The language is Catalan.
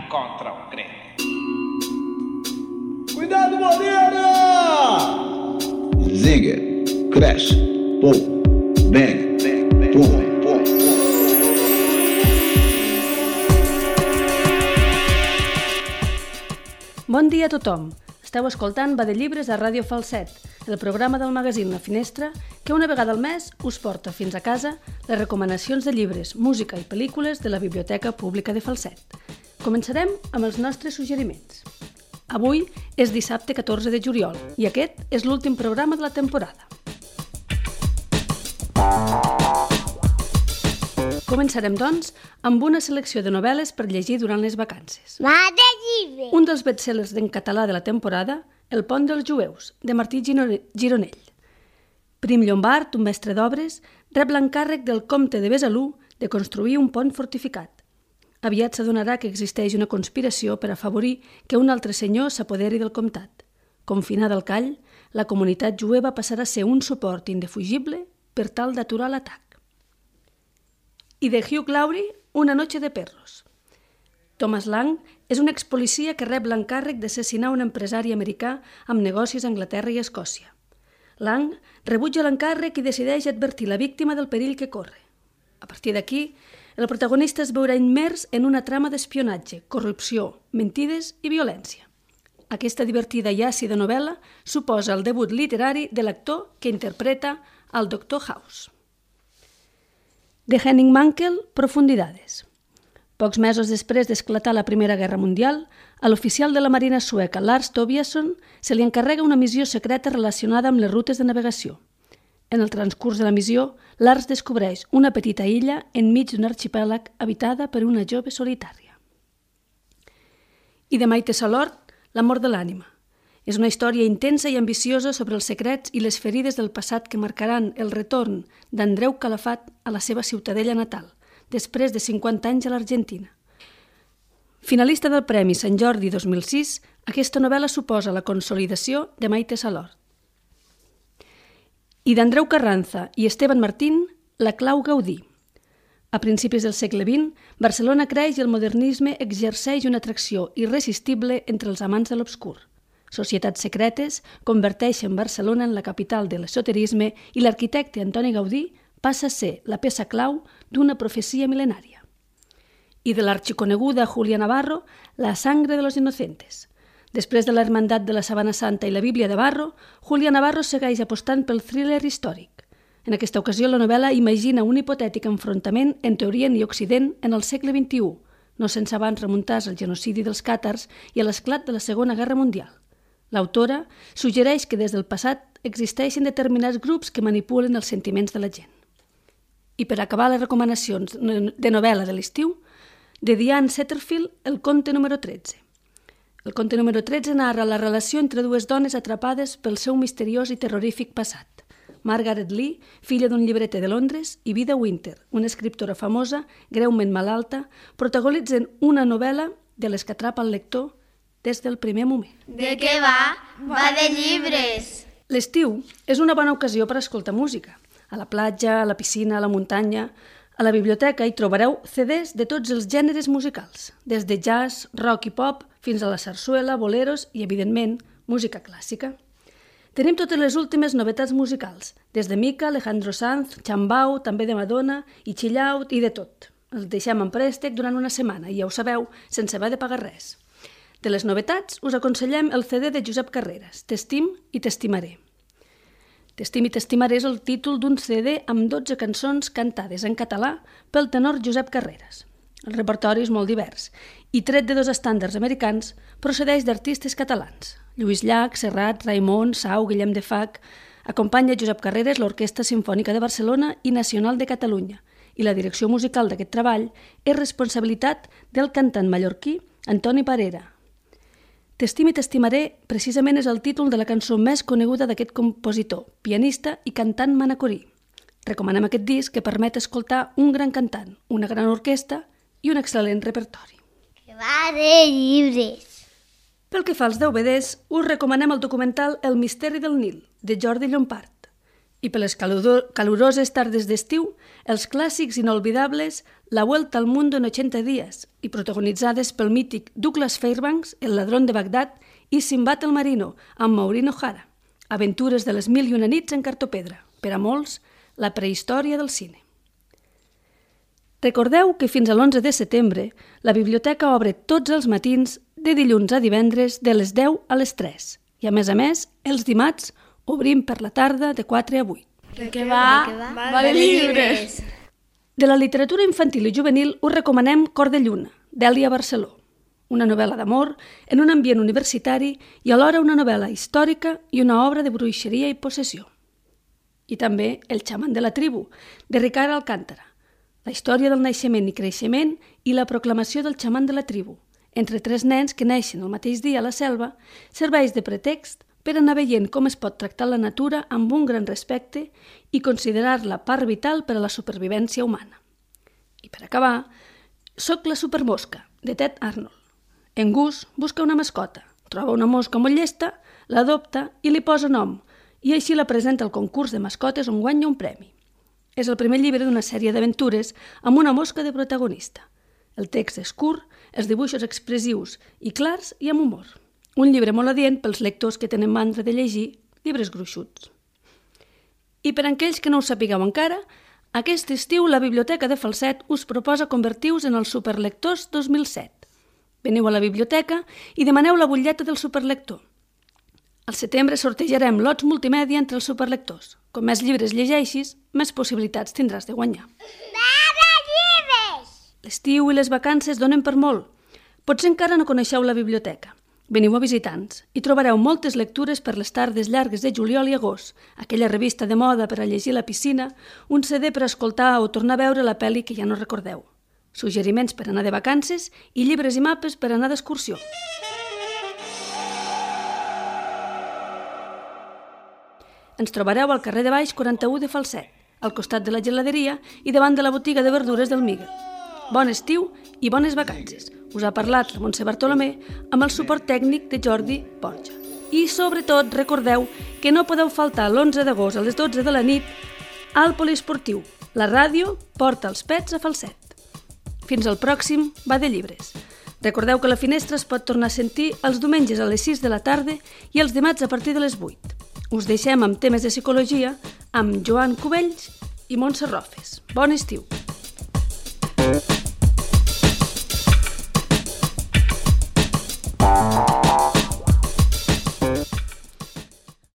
contra un crente. Cuidado, Moreira! Zinger, crash, pum, bang, pum, pum. Bon dia a tothom. Esteu escoltant Va de Llibres a Ràdio Falset, el programa del magazín La Finestra que una vegada al mes us porta fins a casa les recomanacions de llibres, música i pel·lícules de la Biblioteca Pública de Falset. Començarem amb els nostres suggeriments. Avui és dissabte 14 de juliol i aquest és l'últim programa de la temporada. Començarem, doncs, amb una selecció de novel·les per llegir durant les vacances. Va de llibres! Un dels bestsellers en català de la temporada, El pont dels jueus, de Martí Gironell. Prim Llombart, un mestre d'obres, rep l'encàrrec del comte de Besalú de construir un pont fortificat. Aviat s'adonarà que existeix una conspiració per afavorir que un altre senyor s'apoderi del comtat. Confinada al call, la comunitat jueva passarà a ser un suport indefugible per tal d'aturar l'atac. I de Hugh Laurie, Una noche de perros. Thomas Lang és un expolicia que rep l'encàrrec d'assassinar un empresari americà amb negocis a Anglaterra i Escòcia. Lang rebutja l'encàrrec i decideix advertir la víctima del perill que corre. A partir d'aquí, el protagonista es veurà immers en una trama d'espionatge, corrupció, mentides i violència. Aquesta divertida i àcida novel·la suposa el debut literari de l'actor que interpreta el Dr. House. De Henning Mankell, Profundidades. Pocs mesos després d'esclatar la Primera Guerra Mundial, a l'oficial de la Marina sueca Lars Tobiasson se li encarrega una missió secreta relacionada amb les rutes de navegació. En el transcurs de la missió, Lars descobreix una petita illa enmig d'un arxipèlag habitada per una jove solitària. I de Maite Salort, L'amor de l'ànima. És una història intensa i ambiciosa sobre els secrets i les ferides del passat que marcaran el retorn d'Andreu Calafat a la seva ciutadella natal, després de 50 anys a l'Argentina. Finalista del Premi Sant Jordi 2006, aquesta novel·la suposa la consolidació de Maite Salort. I d'Andreu Carranza i Esteban Martín, La clau Gaudí. A principis del segle XX, Barcelona creix i el modernisme exerceix una atracció irresistible entre els amants de l'obscur. Societats secretes converteixen Barcelona en la capital de l'esoterisme i l'arquitecte Antoni Gaudí passa a ser la peça clau d'una profecia mil·lenària. I de l'arxiconeguda Julia Navarro, La sangre de los inocentes. Després de la Hermandat de la Sabana Santa i la Bíblia de Barro, Julia Navarro segueix apostant pel thriller històric. En aquesta ocasió, la novel·la imagina un hipotètic enfrontament entre Orient i Occident en el segle XXI, no sense abans remuntar-se al genocidi dels càtars i a l'esclat de la Segona Guerra Mundial. L'autora suggereix que des del passat existeixen determinats grups que manipulen els sentiments de la gent. I per acabar les recomanacions de novel·la de l'estiu, de Diane Setterfield, El conte número 13. El conte número 13 narra la relació entre dues dones atrapades pel seu misteriós i terrorífic passat. Margaret Lee, filla d'un llibreter de Londres, i Vida Winter, una escriptora famosa, greument malalta, protagonitzen una novel·la de les que atrapa el lector des del primer moment. De què va? Va de llibres! L'estiu és una bona ocasió per escoltar música. A la platja, a la piscina, a la muntanya. A la biblioteca hi trobareu CDs de tots els gèneres musicals, des de jazz, rock i pop, fins a la sarsuela, boleros i, evidentment, música clàssica. Tenim totes les últimes novetats musicals, des de Mika, Alejandro Sanz, Chambao, també de Madonna, i Chill Out i de tot. Els deixem en préstec durant una setmana i ja ho sabeu, sense haver de pagar res. De les novetats us aconsellem el CD de Josep Carreras, T'estim i t'estimaré. T'estim i t'estimaré és el títol d'un CD amb 12 cançons cantades en català pel tenor Josep Carreras. El repertori és molt divers i, tret de 2 estàndards americans, procedeix d'artistes catalans. Lluís Llach, Serrat, Raimon, Sau, Guillem de Fac. Acompanya Josep Carreras l'Orquestra Simfònica de Barcelona i Nacional de Catalunya, i la direcció musical d'aquest treball és responsabilitat del cantant mallorquí Antoni Parera. T'estim i t'estimaré precisament és el títol de la cançó més coneguda d'aquest compositor, pianista i cantant manacorí. Recomanem aquest disc que permet escoltar un gran cantant, una gran orquestra i un excel·lent repertori. Que va de llibres! Pel que fa als DVDs, us recomanem el documental El misteri del Nil, de Jordi Llompart. I per les caloroses tardes d'estiu, els clàssics inolvidables La Vuelta al Mundo en 80 dies i protagonitzades pel mític Douglas Fairbanks, El ladrón de Bagdad, i Sinbad el marino, amb Maureen O'Hara. Aventures de les 1001 nits en cartopedra. Per a molts, la prehistòria del cine. Recordeu que fins a l'11 de setembre la biblioteca obre tots els matins de dilluns a divendres de les 10 a les 3 i, a més, els dimarts obrim per la tarda de 4 a 8. Que va de llibres. De la literatura infantil i juvenil us recomanem Cor de lluna, d'Èlia Barceló, una novel·la d'amor en un ambient universitari i alhora una novel·la històrica i una obra de bruixeria i possessió. I també El xaman de la tribu, de Ricard Alcántara, la història del naixement i creixement i la proclamació del xaman de la tribu, entre 3 nens que neixen el mateix dia a la selva, serveix de pretext per anar veient com es pot tractar la natura amb un gran respecte i considerar-la part vital per a la supervivència humana. I per acabar, Soc la supermosca, de Ted Arnold. En Gus busca una mascota, troba una mosca molt llesta, l'adopta i li posa nom, i així la presenta al concurs de mascotes on guanya un premi. És el primer llibre d'una sèrie d'aventures amb una mosca de protagonista. El text és curt, els dibuixos expressius i clars i amb humor. Un llibre molt adient pels lectors que tenen mandra de llegir llibres gruixuts. I per a aquells que no ho sapigueu encara, aquest estiu la Biblioteca de Falset us proposa convertir-vos en els Superlectors 2007. Veniu a la biblioteca i demaneu la butlleta del superlector. Al setembre sortejarem lots multimèdia entre els superlectors. Com més llibres llegeixis, més possibilitats tindràs de guanyar. L'estiu i les vacances donen per molt. Potser encara no coneixeu la biblioteca. Veniu a visitants i trobareu moltes lectures per les tardes llargues de juliol i agost, aquella revista de moda per a llegir a la piscina, un CD per escoltar o tornar a veure la pel·li que ja no recordeu, suggeriments per anar de vacances i llibres i mapes per anar d'excursió. Ens trobareu al carrer de Baix 41 de Falset, al costat de la geladeria i davant de la botiga de verdures del Miguel. Bon estiu i bones vacances. Us ha parlat la Montse Bartolomé amb el suport tècnic de Jordi Borja. I sobretot recordeu que no podeu faltar l'11 d'agost a les 12 de la nit al poliesportiu. La ràdio porta els pets a Falset. Fins al pròxim Va de Llibres. Recordeu que la finestra es pot tornar a sentir els diumenges a les 6 de la tarda i els dimarts a partir de les 8. Us deixem amb temes de psicologia amb Joan Cubells i Montse Rofes. Bon estiu!